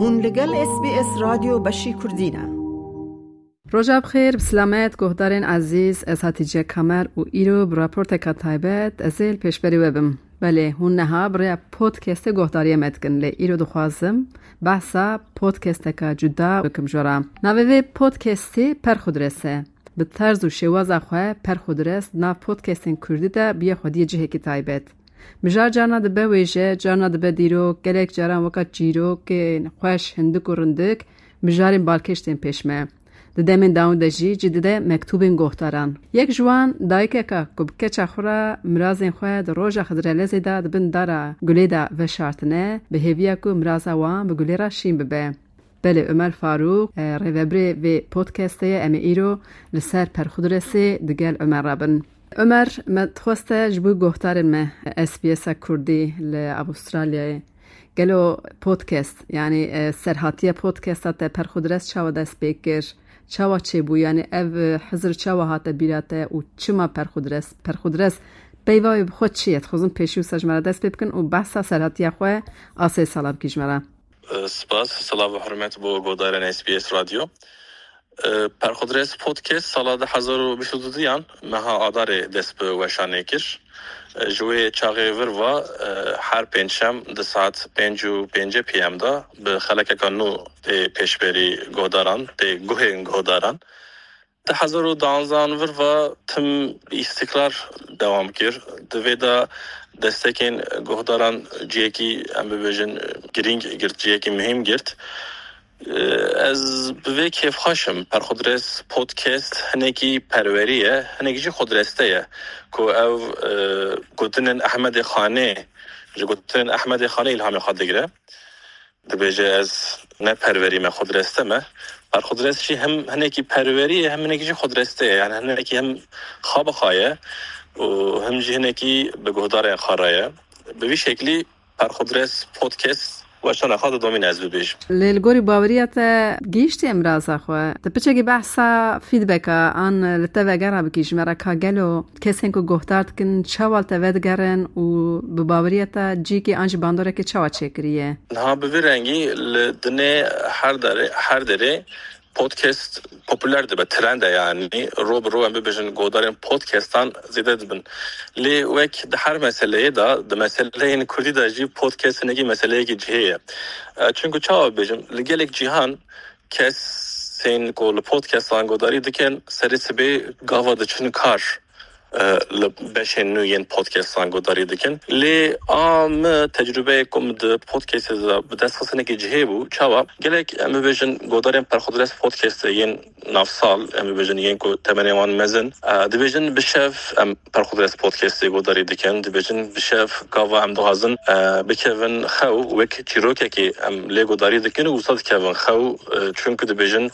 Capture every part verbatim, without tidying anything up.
Hûn li gel S B S Radyo Beşî Kurdî ne. Roja bi xêr, bi silamet, guhdarên ezîz, ez Hatice Kamer û îro bi raporteka taybet ez ê li pêşberî we bim. Belê, hûn neha bi rêya podcastê guhdariyê me dikin, lê îro dixwazim behsa podcasteka cuda bikim ji we re. Navê vê podcastê Perxudres e. Bi terz û şêwaza xwe Perxudres di nav podcastên kurdî de bûye xwediyê cihekî taybet. Mijar carna dibe wêje, carna dibe dîrok, gelek caran weka çîrokên xweş, hindik û rindik, mijarên balkêş tên pêş me. Di demên dawî de jî cî dide mektûbên gohdaran. Yek ji wan dayikeka ku bi keça xwe re mirazên xwe di roja Xizirelezê de di bin dara gulê de veşartine, bi hêviya ku miraza wan bi gulê re şîn bibe. Belê, Omer Farûq, e, rêvebirê vê podcastê ye, em ê îro li ser Perxudresê di gel Omer re bin. Omer, me dixweste ji bo guhdarên me S B S a Kurdî li Avustralyayê, gelo podcast, yanî, e, serhatiya podcasta te Perxudres çawa dest pê kir? Çawa çêbû? Yanî ev, e, hizir çawa hate bîra te û çima Perxudres? Perxudres peyva wê bi xwe çi ye? Dixwazim pêşî wisa ji me re dest pê bikin û behsa serhatiya xwe a sê sala bikî ji me re. Spas, silav û hurmet bo guhdarên S B S Radyo. Perxudres Podcast sala du hezar û bîst û duyan meha Adarê dest bi weşanê kir. Ji wê çaxê vir ve, her pêncşem di saet pênc û pêncî P M de bi xelekeka nû tê pêşberî guhdaran, tê guhên guhdaran. Di hezar û duanzan vir ve tim îstikrar dewam kir. Di vê de destekên guhdaran cihekî, em bibêjin, girîng girt, cihekî muhîm girt. Ez bi vê kêfxweş im. Perxudres Podcast hinekî perwerî ye, hinek jî xudreste ye. Ku ev, e, gotinên Ehmedê Xanê, ji gotinên Ehmedê Xanê îlhamê xwe digire. Dibêje, ez ne perwerî me, xudreste me. Perxudres jî hem hinekî perwerî ye, hem hinekî jî xudreste ye. Yani hinekî hem xa bi xa ye û hem jî hinekî bi guhdarên xwe re ye. Bi vî şeklî Perxudres Podcast weşana xwe didomîne, ez bibêjim. Lê li gorî baweriya te gihîştiye miraza xwe? Te piçekî behsa feedbacka an li te vegera bikî ji me re, ka gelo kesên ku guhdar dikin, çawa li te vedigerin û bi baweriya te cîkê an jî bandorekê çawa çêkiriye? Niha bi vî rengî li dinê her derê, her derê podcast populer dibe, trend e yani. Ro bi ro, em bibêjin, godarên podcastan zêde dibin. Lê wek di her meseleyê de, di meseleyên kurdî de jî podcast hinekî meseleyekî cihê ye. E, çunku çawa bibêjim, li gelek cîhan kesên ku li podcastan godarî dikin, serê sibê gava diçin kar, e, li beşên nû yên podcastan godarî dikin. Lê a min tecrûbeyê ku min di podcastê de bi dest xistinekî cihê bû. Çawa? Gelek, em bibêjin, godarên Perxudres Podcastê yên navsal, em bibêjin, yên ku temenê wan mezin, e, dibêjin bi şev em Perxudres Podcastê godarî dikin, dibêjin bi şev gava em dixwazin, e, bikevin xew, wek çîrokekê em lê godarî dikin û wisa dikevin xew, e, çunku dibêjin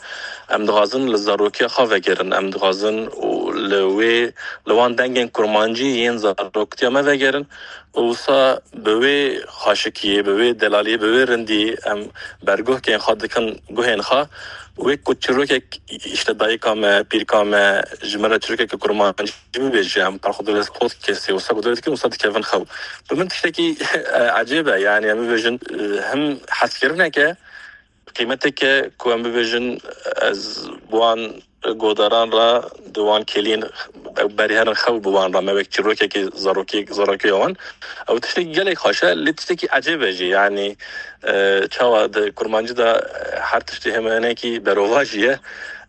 em dixwazin li zarokiya xwe vegerin, em dixwazin û li wê, li wan dengên kurmancî yên zaroktiya me vegerin û wisa bi wê xweşikiyê, bi wê delaliyê, bi wê rindiyê em berguhkên xwe dikin guhên xwe. Wek ku çîrokek, işte, dayika me, pîrka me ji me re çîrokeke kurmancî bibêje, em Perxudres Podcastê wisa guhdarî dikin, wisa dikevin xew. Bi min tiştekî, e, ecêb e, yani em bibêjin, e, hem hezkirineke, qîmeteke ku em bibêjin, ez bi wan godaran re, di wan kêliyên berî herin xew bi wan re, me wek çîrokekî zarokî, zarokiya wan. Ew tiştekî gelek xweş e, lê tiştekî ecêb e jî. Yanî, e, çawa di kurmancî de, e, her tiştê heme hinekî berovajî ye.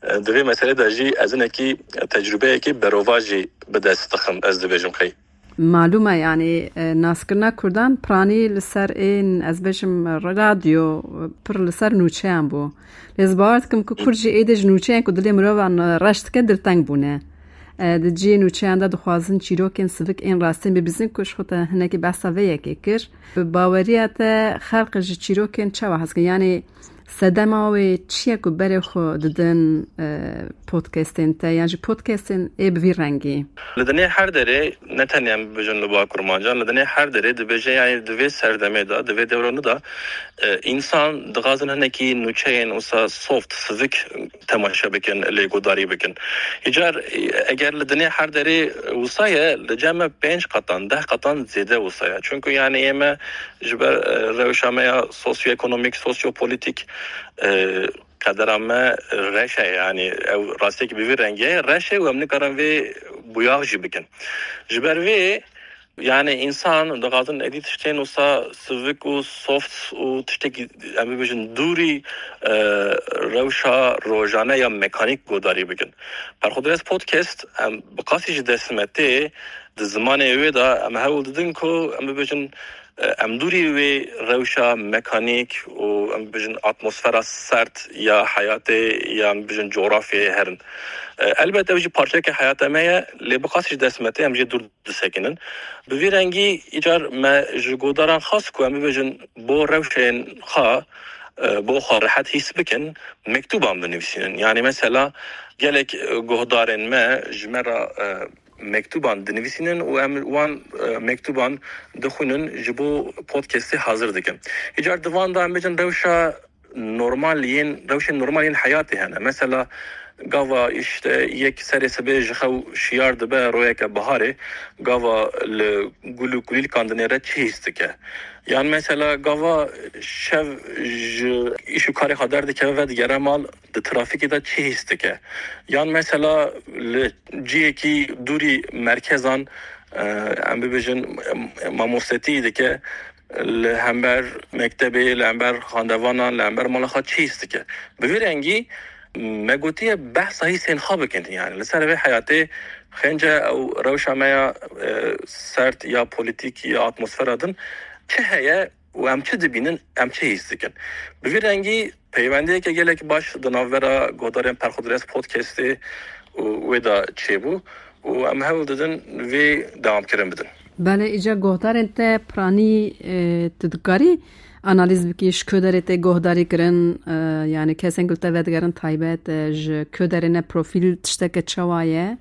E, di vê meselê de jî ez hinekî tecrûbeyekî berovajî bi dest dixim, ez dibêjim qey. Malûm e, yanî, e, naskirina kurdan piranî li ser ên, ez bêjim, radyo, e, pir li ser nûçeyan bû. Lê ez bawer dikim ku kurd jî êdî ji nûçeyên ku dilê mirovan, e, reş dike, dilteng bûne. E, di cihê nûçeyan de dixwazin çîrokên sivik ên rastîn bibîzin ku ji xwe te hinekî behsa vê yekê kir. Bi baweriya te xelk ji çîrokên çawa hez dikin? Yanî Sedema wê çi ye ku berê xwe didin, e, podcastên te yan jî podcastên ê bi vî rengî? Li dinê her derê, ne tenê em bibêjin li ba kurmancan, li dinê her derê dibêje, yani di vê serdemê de, di vê dewranê de, e, însan dixwazin hinekî nûçeyên wisa soft, sivik temaşe bikin, lê guhdarî bikin. Îcar, e, eger li dinê her derê wisa ye, li cem me pênc qatan, deh qatan zêde wisa ye. Çunku yani ê me ji ber, e, rewşa me ya sosyoekonomîk, sosyopolitîk, e, qedera me reş e, yani ew rastiyekî bi vî rengî ye, reş e û em nikarin vê buyax jî bikin. Ji ber vê, yani însan dixwazin êdî tiştên wisa sivik û soft û tiştekî, em bibêjin, dûrî, e, rewşa rojane ya mekanîk guhdarî bikin. Perxwedres Podcast, em bi qasî ji dest me tê, di zimanê wê de em hewl didin ku, em bibêjin, e, em dûrî wê rewşa mekanîk û, em bibêjin, atmosfera sert ya heyatê ya, em bibêjin, coğrafyayê herin. E, elbet ew jî parçeyeke heyata me ye, lê bi qasî ji dest me tê, em jê dûr disekinin. Bi vî rengî îcar me ji guhdaran xwest ku, em bibêjin, bo rewşên xwe, e, bo xwe rehet hîs bikin, mektûban binivîsînin. Yani mesela gelek, e, guhdarên me ji me re, e, mektûban dinivîsînin û em wan, e, mektûban dixwînin, ji bo podcastê hazir dikin. Îcar di van de, em bêjin, rewşa normal yên, rewşên normal yên heyatê hene. Mesela gava işte yek serê sibê ji xew şiyar dibe, royeke biharê, gava li gul û kulîlkan dinêre çi hîs dike? Yan mesela gava şev ji îş û karê xwe derdikeve, vedigere mal, di trafîkê de çi hîs dike? Yan mesela li ciyekî dûrî merkezan, e, em bibêjin, em, mamostetî dike, li hember mektebê, li hember xandevanan, li hember mala xwe çi hîs dike? Bi vî rengî me gotiye behsa hîsên xwe bikin. Yani li ser vê heyatê xênce ew rewşa me ya, e, sert ya polîtîk ya atmosfera din çi heye û em çi dibînin, em çi hîs dikin? Bi vî rengî peywendiyeke gelek baş di navbera guhdarên Perxwedres Podcastê û wê de çêbû û em hewl didin vê dewamkirin bidin. Belê, îca guhdarên te piranî, e, tu dikarî analîz bikî, ji ku derê tê guhdarî kirin, e, yani kesên ku li te vedigerin taybet, e, ji ku derê ne, profîl tişteke çawa ye?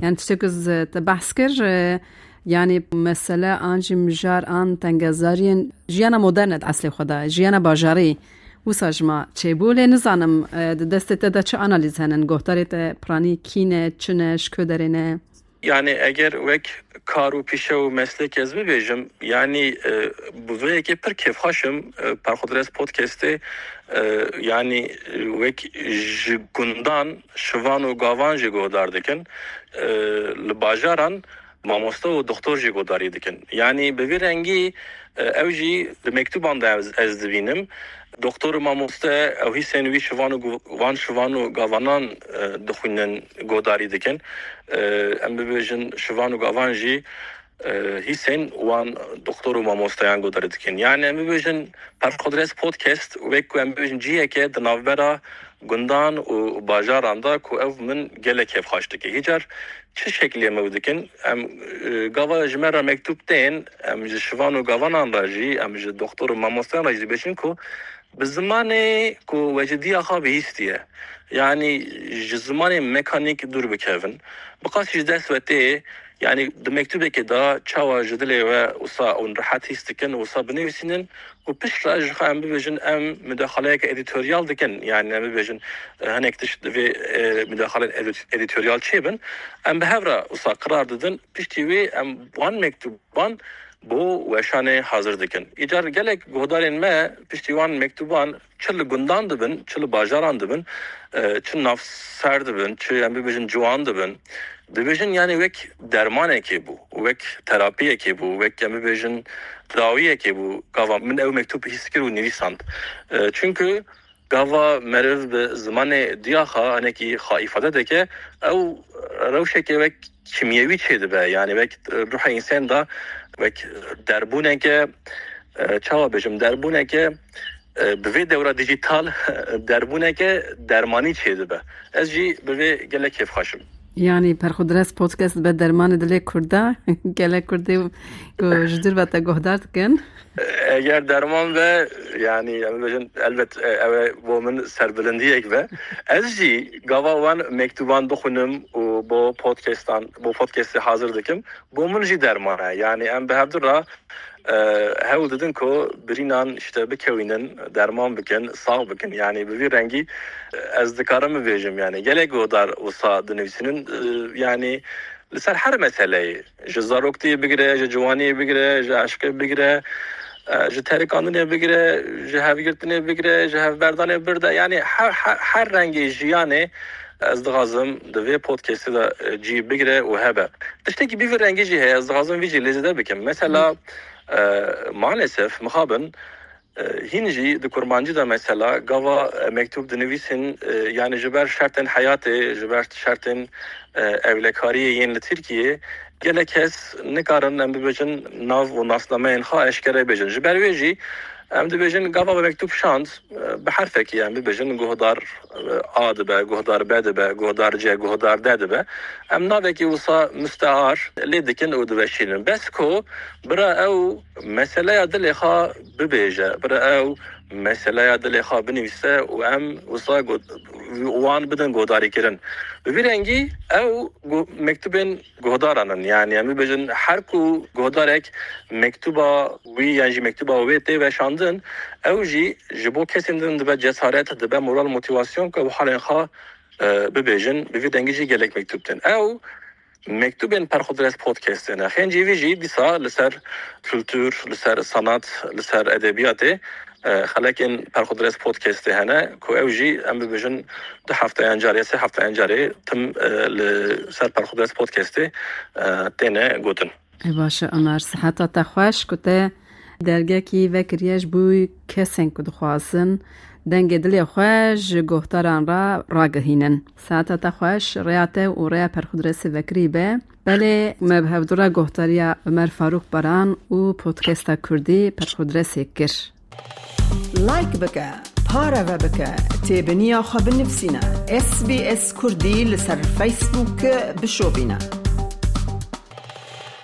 Yani tiştek ku z-, te behs kir, e, yani mesele an jî mijar an tengezariyên jiyana moderne di eslê xwe de, jiyana bajarî wisa ji me çêbû, lê nizanim, e, di destê te de çi analîz henin, guhdarê te piranî kî ne, çi ne, ji ku derê ne? Yani eger wek kar û pîşe û meslek ez bibêjim, yani, e, bi vê yekê pir kêfxweş im, e, Perxwedres Podcastê, e, yani, e, wek ji gundan şivan û gavan jî guhdar dikin, e, li bajaran mamoste û doktor jî guhdarî dikin. Yani bi vî rengî, e, ew jî di mektûban de ez, ez dibînim. Doktor û mamoste ew hîsên wî şivan û gu-, van şivan û gavanan, e, dixwînin, guhdarî dikin. E, em bibêjin şivan û gavan jî, e, hîsên wan doktor û mamosteyan guhdarî dikin. Yani em bibêjin Perxwedres Podcast wek ku em bibêjin ciheke di navbera gundan û bajaran de ku ev min gelek kêfxweş dike. Hîcar çi şeklê em ew dikin? Em, e, gava ji me re mektûb tên, em ji şivan û gavanan re jî, em ji doktor û mamosteyan re jî dibêjin ku bi zimanê ku we ji diya xwe bihîstiye, yanî ji zimanê mekanîk dûr bikevin. Bi qasî ji dest we tê, yanî di mektûbekê de çawa ji dilê we wisa hûn rehet hîs dikin, wisa binivîsînin û piştre ji xwe em bibêjin, em mudaxaleyeke edîtoryal dikin, yanî em bibêjin, e, hinek tişt divê, e, mudaxaleyên edît-, edîtoryal çêbin. Em bi hev re wisa qirar didin, piştî wê em wan mektûban bo weşanê hazir dikin. Îcar gelek guhdarên me piştî wan mektûban çi li gundan dibin, çi li bajaran dibin, e, çi navser dibin, çi em bibêjin ciwan dibin. Dibêjin, yani wek dermanekê bû, wek terapiyekê bû, wek em bibêjin dawiyekê bû. Gava min ew mektûb hîs kir û nivîsand. E, çunku gava meriv bi zimanê diya xwe hinekî xwe îfade dike, ew rewşeke wek kîmyewî çêdibe, yani wek, e, ruhê însan de wek derbûneke, e, çawa bêjim, derbûneke, e, bi vê dewra dîjîtal derbûneke dermanî çêdibe. Ez jî bi vê gelek kêfxweş im. Yanî Perxudres Podcast be dermanê dilê Kurda, gelek Kurdê ku ji dûr ve te guhdar dikin. Eger derman be, yanî em bêjin, elbet, e, ew ê bo min serbilindiyek be. Ez jî gava wan mektuban bixwînim û bo podcastan, bo podcastê hazir dikim. Bo min jî derman e. Yanî em bi hevdu re, e, hewl didin ku birînan işte bikewînin, derman bikin, sax bikin. Yanî bi vî rengî, e, ez dikarim bibêjim, yanî gelek guhdar wisa dinivîsînin, e, yanî li ser her meseleyê, ji zaroktiyê bigire, ji ciwaniyê bigire, ji eşqê bigire, e, ji terikandinê bigire, ji hevgirtinê bigire, ji hevberdanê birde. Yanî her, her, her rengê jiyanê ez dixwazim di vê podcastê de, e, cî bigire û hebe. Tiştekî bi vî rengî jî heye, ez dixwazim vî jî lê zêde bikim. Mesela, e, maalesef mixabin, e, hîn jî di kurmancî de mesela gava, e, mektûb dinivîsin, e, yanî ji ber şertên heyatê, ji ber şertên, e, ewlekariyê yên li Tirkiyê gelek kes nikarin, em bibêjin, nav û nasnameyên xwe eşkere bêjin. Ji ber wê jî em dibêjin gava me mektûb şand, e, bi herfekî em bibêjin guhdar, e, A dibe, guhdar B dibe, guhdar C, guhdar D dibe. Em navekî wisa mustear lê dikin û diveşînin. Bes ku bira ew meseleya dilê xwe bibêje, bira ew meseleya dilê xwe binivîse û em wisa got-, wan bidin guhdarîkirin. Bi vî rengî ew gu-, mektubên guhdaran in. Yanî em bibêjin her ku guhdarek mektuba wî yan jî mektuba wê tê veşandin, ew jî ji bo kesên din dibe cesaret, dibe moral, motivasyon ku ew halên xwe, e, bibêjin. Bi vî rengî jî gelek mektub tên. Ew mektubên Perxudres Podcastê ne. Xêncî vî jî dîsa li ser kultur, li ser sanat, li ser edebiyatê, e, xelekên Perxudres Podcastê hene ku ew jî em bibêjin du hefteyan carê, sê hefteyan carê tim, e, li ser Perxudres Podcastê, e, têne gotin. Ê baş e, Omer, siheta te xweş ku te dergekî vekiriye ji bo kesên ku dixwazin dengê dilê xwe ji guhdaran re ragihînin. Siheta te xweş, rêya te û rêya Perxudresê vekirî be. Belê, me bi hevdu re guhdariya Omer Farûk Baran û podcasta Kurdî Perxudresê kir. Like bike, pareve bike, têbiniya xwe binivîsîne. S B S Kurdî li ser Facebook bişopîne.